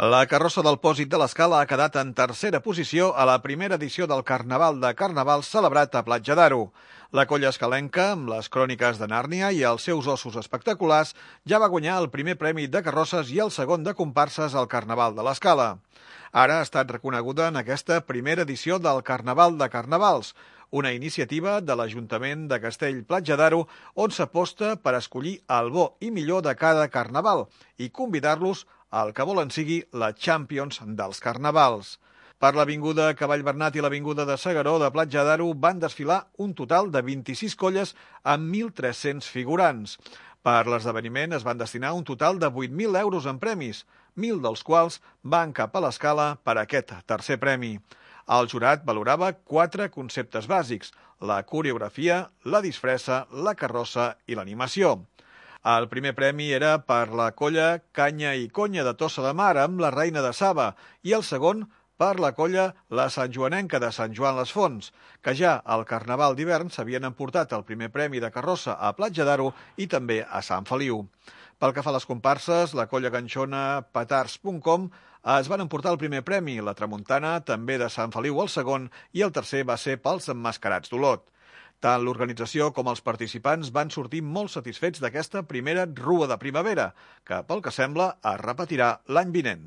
La carrossa del Pòsit de l'Escala ha quedat en tercera posició a la primera edició del Carnaval de Carnavals celebrat a Platja d'Aro. La colla escalenca, amb les cròniques de Nàrnia i els seus ossos espectaculars, ja va guanyar el primer premi de carrosses i el segon de comparses al Carnaval de l'Escala. Ara ha estat reconeguda en aquesta primera edició del Carnaval de Carnavals, una iniciativa de l'Ajuntament de Castell-Platja d'Aro on s'aposta per escollir el bo i millor de cada carnaval i convidar-los al que volen sigui la Champions dels Carnavals. Per l'Avinguda Cavall Bernat i l'Avinguda de S'Agaró de Platja d'Aro van desfilar un total de 26 colles amb 1.300 figurants. Per l'esdeveniment es van destinar un total de 8.000 euros en premis, 1.000 dels quals van cap a l'Escala per aquest tercer premi. El jurat valorava 4 conceptes bàsics: la coreografia, la disfressa, la carrossa i l'animació. El primer premi era per la colla Canya i Conya de Tossa de Mar amb la Reina de Saba i el segon per la colla La Sant Joanenca de Sant Joan les Fonts, que ja al Carnaval d'hivern s'havien emportat el primer premi de carrossa a Platja d'Aro i també a Sant Feliu. Pel que fa a les comparses, la colla ganxona Petards.com es van emportar el primer premi, la Tramuntana també de Sant Feliu el segon i el tercer va ser pels Emmascarats d'Olot. Tant l'organització com els participants van sortir molt satisfets d'aquesta primera rua de primavera, que pel que sembla es repetirà l'any vinent.